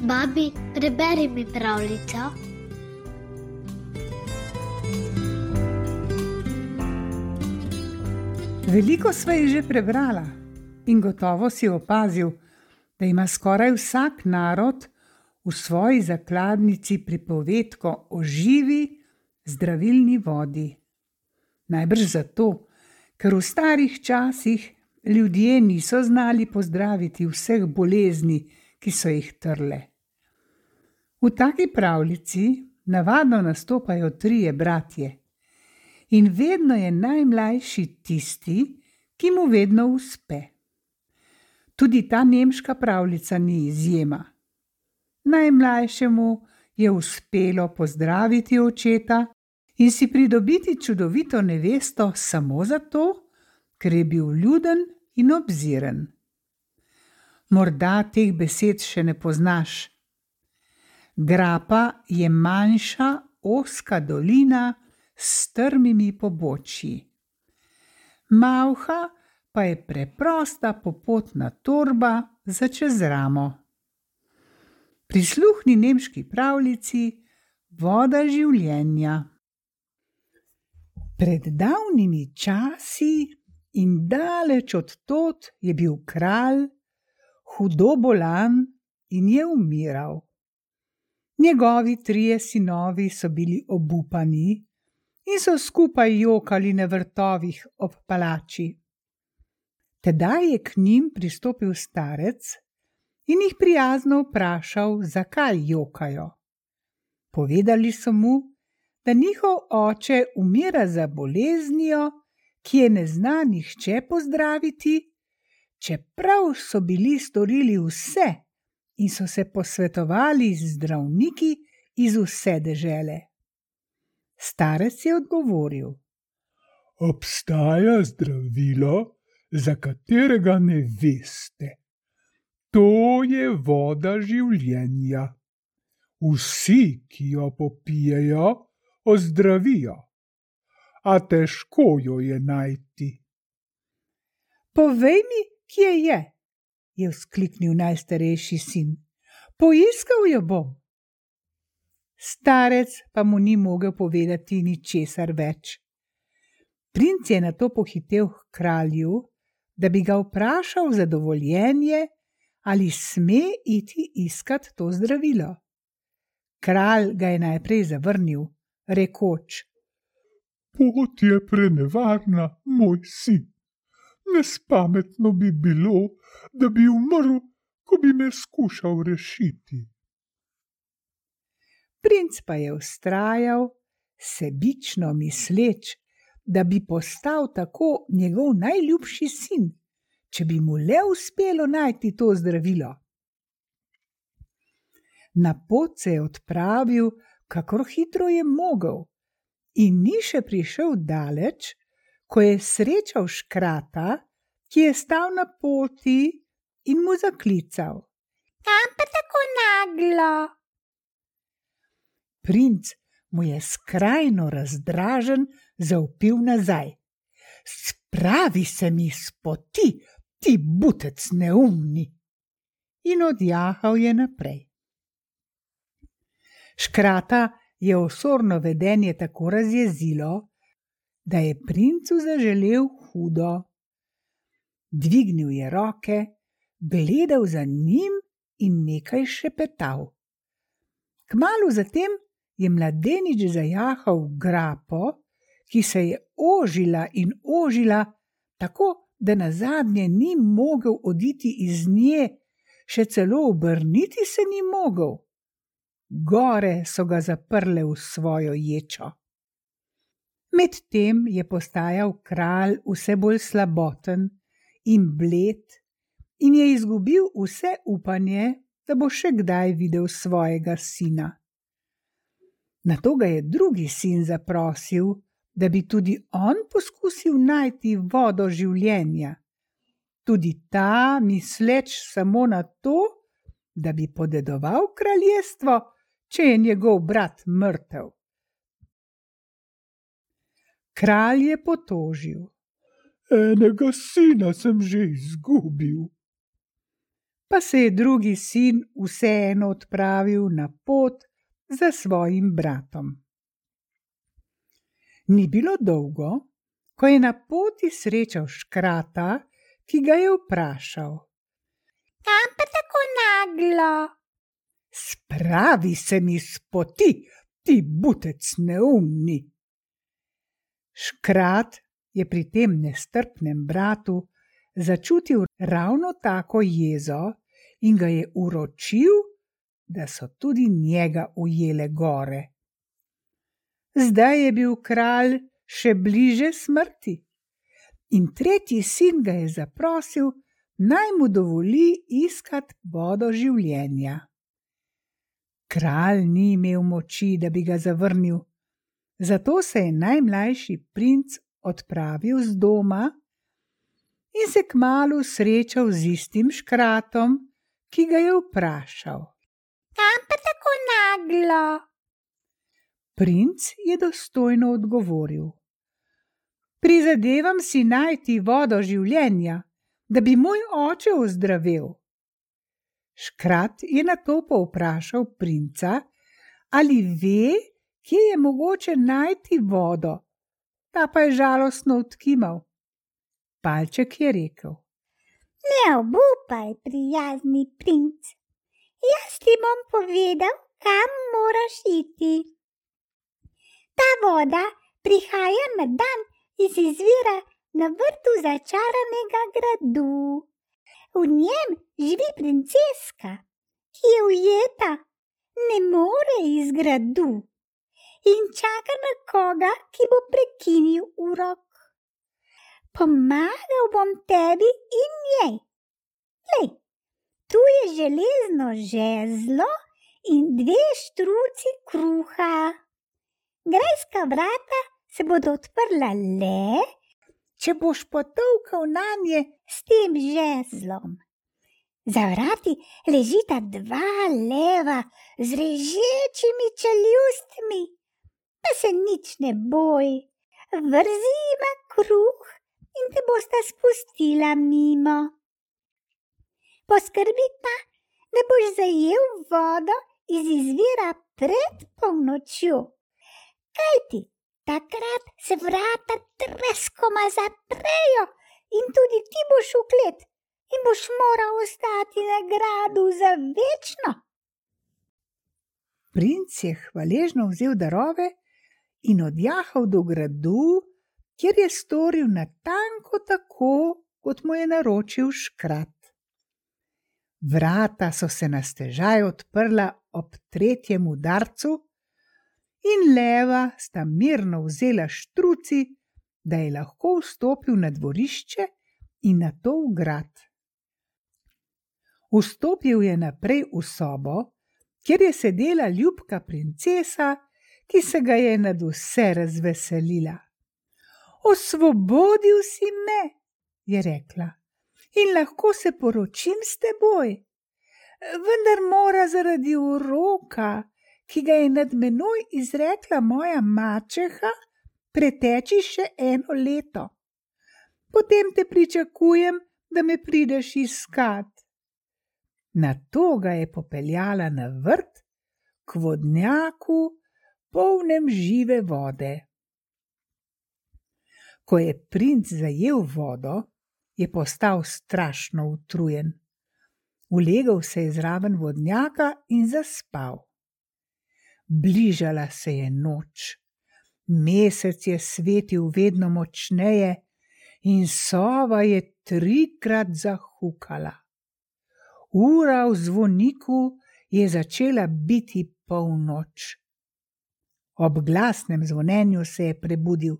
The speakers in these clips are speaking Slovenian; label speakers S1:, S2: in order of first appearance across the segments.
S1: Babi, preberi mi pravljico.
S2: Veliko sva jih že prebrala in gotovo si opazil, da ima skoraj vsak narod v svoji zakladnici pripovedko o živi, zdravilni vodi. Najbrž zato, ker v starih časih ljudje niso znali pozdraviti vseh bolezni, ki so jih trle. V taki pravljici navadno nastopajo trije bratje in vedno je najmlajši tisti, ki mu vedno uspe. Tudi ta nemška pravljica ni izjema. Najmlajšemu je uspelo pozdraviti očeta in si pridobiti čudovito nevesto samo zato, ker je bil vljuden in obziren. Morda teh besed še ne poznaš. Grapa je manjša, ozka dolina s strmimi pobočji. Malha pa je preprosta popotna torba za čez ramo. Prisluhni nemški pravljici Voda življenja. Pred davnimi časi in daleč od tod je bil kralj, hudo bolan in je umiral. Njegovi trije sinovi so bili obupani in so skupaj jokali na vrtovih ob palači. Tedaj je k njim pristopil starec in jih prijazno vprašal, zakaj jokajo. Povedali so mu, da njihov oče umira za boleznijo, ki je ne zna nihče pozdraviti, čeprav so bili storili vse in so se posvetovali z zdravniki iz vse dežele. Starec je odgovoril:
S3: Obstaja zdravilo, za katerega ne veste. To je voda življenja. Vsi, ki jo popijejo, ozdravijo, a težko jo je najti.
S2: Povej mi, kje je vzkliknil najstarejši sin. Poiskal jo bom. Starec pa mu ni mogel povedati ničesar več. Princ je nato pohitel k kralju, da bi ga vprašal za dovoljenje, ali sme iti iskat to zdravilo. Kralj ga je najprej zavrnil, rekoč:
S3: Pot je prenevarna, moj sin. Nespametno bi bilo, da bi umrl, ko bi me skušal rešiti.
S2: Princ pa je vztrajal, sebično misleč, da bi postal tako njegov najljubši sin, če bi mu le uspelo najti to zdravilo. Na pot se je odpravil, kakor hitro je mogel, in ni še prišel daleč, ko je srečal škrata, ki je stal na poti in mu zaklical: Kam pa tako naglo? Princ mu je skrajno razdražen zavpil nazaj: Spravi se mi s poti, ti butec neumni! In odjahal je naprej. Škrata je osorno vedenje tako razjezilo, da je princu zaželel hudo. Dvignil je roke, gledal za njim in nekaj šepetal. Kmalu zatem je mladenič zajahal v grapo, ki se je ožila in ožila, tako da nazadnje ni mogel oditi iz nje, še celo obrniti se ni mogel. Gore so ga zaprle v svojo ječo. Medtem je postajal kralj vse bolj slaboten in bled in je izgubil vse upanje, da bo še kdaj videl svojega sina. Nato ga je drugi sin zaprosil, da bi tudi on poskusil najti vodo življenja. Tudi ta, misleč samo na to, da bi podedoval kraljestvo, če je njegov brat mrtev. Kralj je potožil:
S3: Enega sina sem že izgubil.
S2: pa se je drugi sin vseeno odpravil na pot za svojim bratom. Ni bilo dolgo, ko je na poti srečal škrata, ki ga je vprašal:
S1: Kam pa tako naglo?
S2: Spravi se mi s poti, ti butec neumni. Škrat je pri tem nestrpnem bratu začutil ravno tako jezo in ga je uročil, da so tudi njega ujele gore. Zdaj je bil kralj še bliže smrti in tretji sin ga je zaprosil, naj mu dovoli iskat vodo življenja. Kralj ni imel moči, da bi ga zavrnil, zato se je najmlajši princ odpravil z doma in se kmalu srečal z istim škratom, ki ga je vprašal:
S1: Kam pa tako naglo?
S2: Princ je dostojno odgovoril: Prizadevam si najti vodo življenja, da bi moj oče ozdravel. Škrat je nato povprašal princa, ali ve, kje je mogoče najti vodo, ta pa je žalostno odkimal. Palček je rekel:
S1: Ne obupaj, prijazni princ, jaz ti bom povedal, kam moraš iti. Ta voda prihaja na dan iz izvira na vrtu začaranega gradu. V njem živi princeska, ki je ujeta, ne more iz gradu in čaka na koga, ki bo prekinil urok. Pomagal bom tebi in njej. Lej, tu je železno žezlo in 2 štruci kruha. Grajska vrata se bodo odprla le, če boš potolkal nanje s tem žezlom. Za vrati ležita 2 leva z režečimi čeljustmi, pa se nič ne boj, vrzi jima kruh in te bosta spustila mimo. Poskrbi pa, da boš zajel vodo iz izvira pred polnočjo, kajti takrat se vrata treskoma zaprejo in tudi ti boš v klet in boš moral ostati na gradu za večno.
S2: Princ je hvaležno vzel darove in odjahal do gradu, kjer je storil natanko tako, kot mu je naročil škrat. Vrata so se na stežaj odprla ob 3. udarcu in leva sta mirno vzela štruci, da je lahko vstopil na dvorišče in nato v grad. Vstopil je naprej v sobo, kjer je sedela ljubka princesa, ki se ga je nadvse razveselila. Osvobodil si me, je rekla, in lahko se poročim s teboj, vendar mora zaradi uroka, ki ga je nad menoj izrekla moja mačeha, preteči še 1 leto. Potem te pričakujem, da me prideš iskat. Nato ga je popeljala na vrt k vodnjaku, polnem žive vode. Ko je princ zajel vodo, je postal strašno utrujen. Ulegel se je zraven vodnjaka in zaspal. Bližala se je noč. Mesec je svetil vedno močneje in sova je 3-krat zahukala. Ura v zvoniku je začela biti polnoč. Ob glasnem zvonjenju se je prebudil.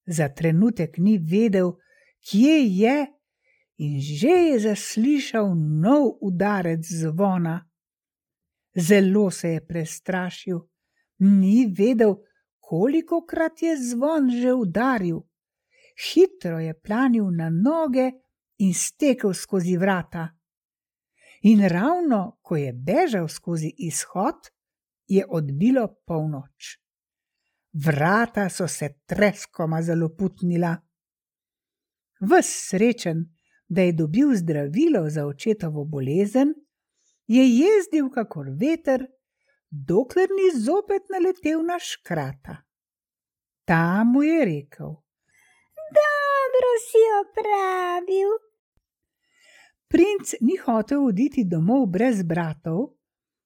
S2: Za trenutek ni vedel, kje je, in že je zaslišal nov udarec zvona. Zelo se je prestrašil, ni vedel, kolikokrat je zvon že udaril. Hitro je planil na noge in stekel skozi vrata. In ravno, ko je bežal skozi izhod, je odbilo polnoč. Vrata so se treskoma zaloputnila. Ves srečen da je dobil zdravilo za očetovo bolezen, je jezdil kakor veter, dokler ni zopet naletel na škrata. Ta mu je rekel:
S1: Dobro si opravil.
S2: Princ ni hotel oditi domov brez bratov,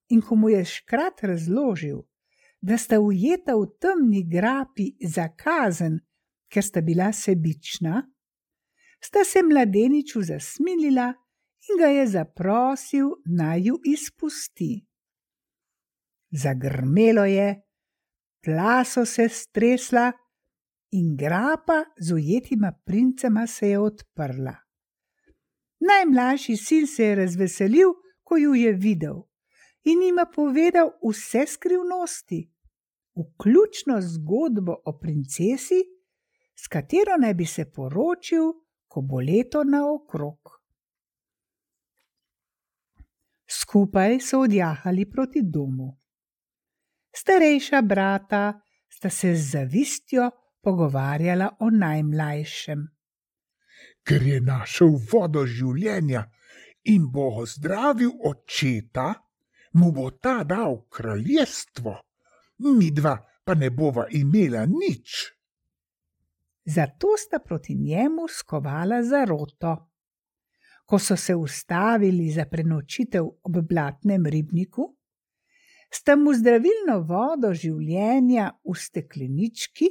S2: in ko mu je škrat razložil, da sta ujeta v temni grapi za kazen, ker sta bila sebična, sta se mladeniču zasmilila in ga je zaprosil, naj ju izpusti. Zagrmelo je, tla so se stresla in grapa z ujetima princema se je odprla. Najmlajši sin se je razveselil, ko ju je videl, in jima povedal vse skrivnosti, vključno zgodbo o princesi, s katero naj bi se poročil, ko bo leto naokrog. Skupaj so odjahali proti domu. Starejša brata sta se z zavistjo pogovarjala o najmlajšem.
S3: Ker je našel vodo življenja in bo ozdravil očeta, mu bo ta dal kraljestvo, midva pa ne bova imela nič.
S2: Zato sta proti njemu skovala zaroto. Ko so se ustavili za prenočitev ob blatnem ribniku, sta mu zdravilno vodo življenja v steklenički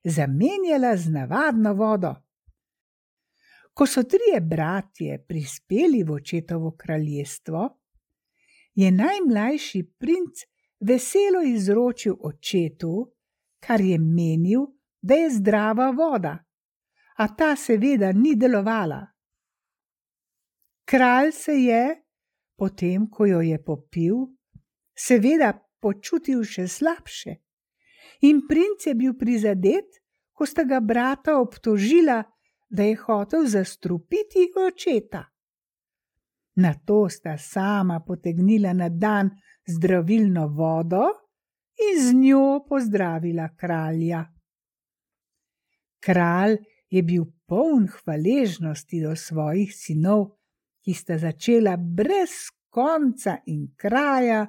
S2: zamenjala z navadno vodo. Ko so trije bratje prispeli v očetovo kraljestvo, je najmlajši princ veselo izročil očetu, kar je menil, da je zdrava voda, a ta seveda ni delovala. Kralj se je, potem ko jo je popil, seveda počutil še slabše, in princ je bil prizadet, ko sta ga brata obtožila, da je hotel zastrupiti očeta. Nato sta sama potegnila na dan zdravilno vodo in z njo pozdravila kralja. Kralj je bil poln hvaležnosti do svojih sinov, ki sta začela brez konca in kraja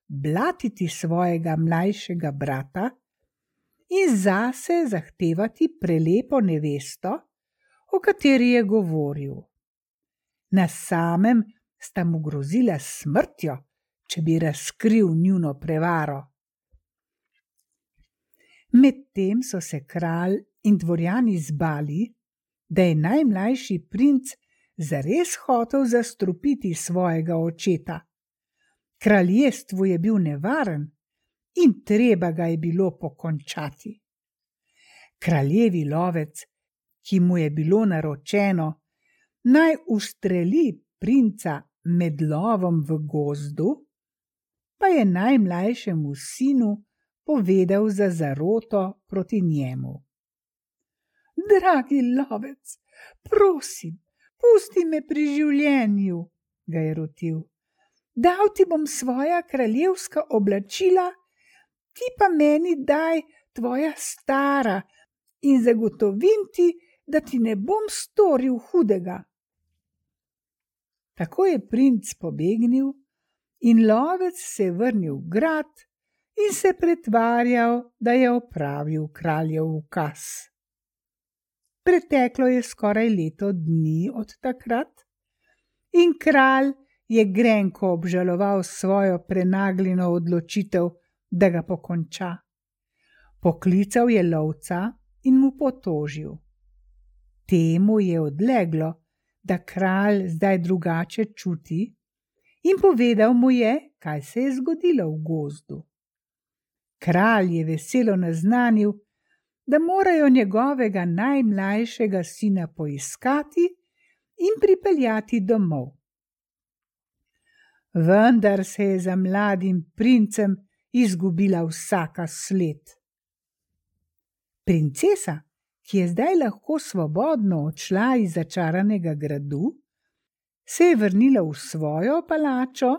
S2: blatiti svojega mlajšega brata in zase zahtevati prelepo nevesto, o kateri je govoril. Na samem sta mu grozila s smrtjo, če bi razkril njuno prevaro. Medtem so se kralj in dvorjani zbali, da je najmlajši princ zares hotel zastrupiti svojega očeta. Kraljestvu je bil nevaren in treba ga je bilo pokončati. Kraljevi lovec, ki mu je bilo naročeno, naj ustreli princa med lovom v gozdu, pa je najmlajšemu sinu povedal za zaroto proti njemu. Dragi lovec, prosim, pusti me pri življenju, ga je rotil. Dal ti bom svoja kraljevska oblačila, ti pa meni daj tvoja stara in zagotovim ti, da ti ne bom storil hudega. Tako je princ pobegnil in lovec se je vrnil v grad in se pretvarjal, da je opravil kraljev ukaz. Preteklo je skoraj leto dni od takrat in kralj je grenko obžaloval svojo prenagljeno odločitev, da ga pokonča. Poklical je lovca in mu potožil. Temu je odleglo, da kralj zdaj drugače čuti, in povedal mu je, kaj se je zgodilo v gozdu. Kralj je veselo naznanil, da morajo njegovega najmlajšega sina poiskati in pripeljati domov. Vendar se je za mladim princem izgubila vsaka sled. Princesa, ki je zdaj lahko svobodno odšla iz začaranega gradu, se je vrnila v svojo palačo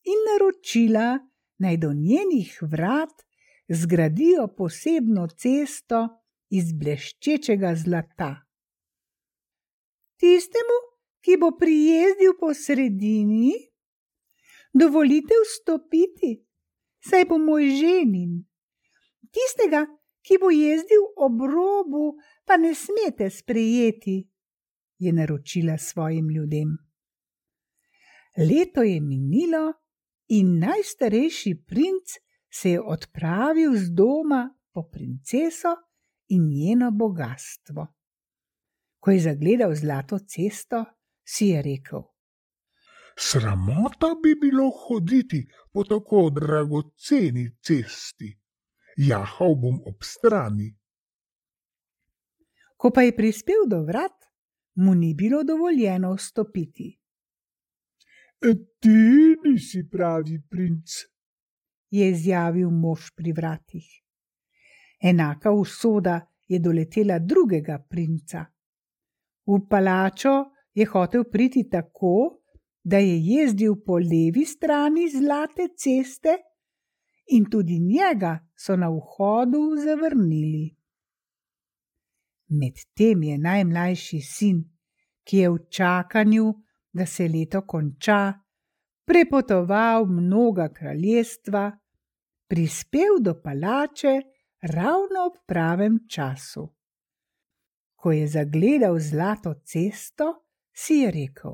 S2: in naročila, naj do njenih vrat zgradijo posebno cesto iz bleščečega zlata. Tistemu, ki bo prijezdil po sredini? Dovolite vstopiti, saj bo moj ženin. Tistega, ki bo jezdil ob robu, pa ne smete sprejeti, je naročila svojim ljudem. Leto je minilo in najstarejši princ se je odpravil z doma po princeso in njeno bogastvo. Ko je zagledal zlato cesto, si je rekel:
S3: Sramota bi bilo hoditi po tako dragoceni cesti. Jahal bom ob strani.
S2: Ko pa je prispel do vrat, mu ni bilo dovoljeno vstopiti.
S3: Ti nisi pravi princ,
S2: je izjavil mož pri vratih. Enaka usoda je doletela drugega princa. V palačo je hotel priti tako, da je jezdil po levi strani zlate ceste, in tudi njega so na vhodu zavrnili. Medtem je najmlajši sin, ki je v čakanju, da se leto konča, prepotoval mnoga kraljestva, prispel do palače ravno ob pravem času. Ko je zagledal zlato cesto, si je rekel: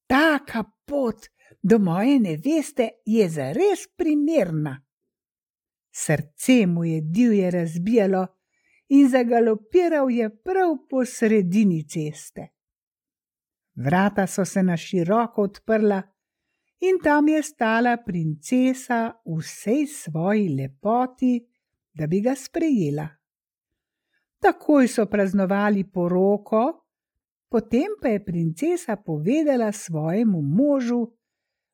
S2: Taka pot do moje neveste je zares primerna. Srce mu je divje razbijalo in zagalopiral je prav po sredini ceste. Vrata so se na široko odprla in tam je stala princesa v vsej svoji lepoti, da bi ga sprejela. Takoj so praznovali poroko, potem pa je princesa povedala svojemu možu,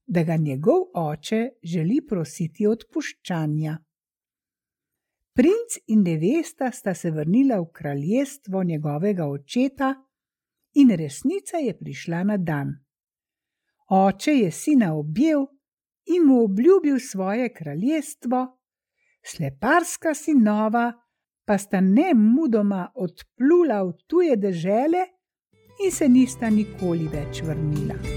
S2: da ga njegov oče želi prositi odpuščanja. Princ in nevesta sta se vrnila v kraljestvo njegovega očeta in resnica je prišla na dan. Oče je sina objel in mu obljubil svoje kraljestvo, sleparska sinova pa sta nemudoma odplula v tuje dežele in se nista nikoli več vrnila.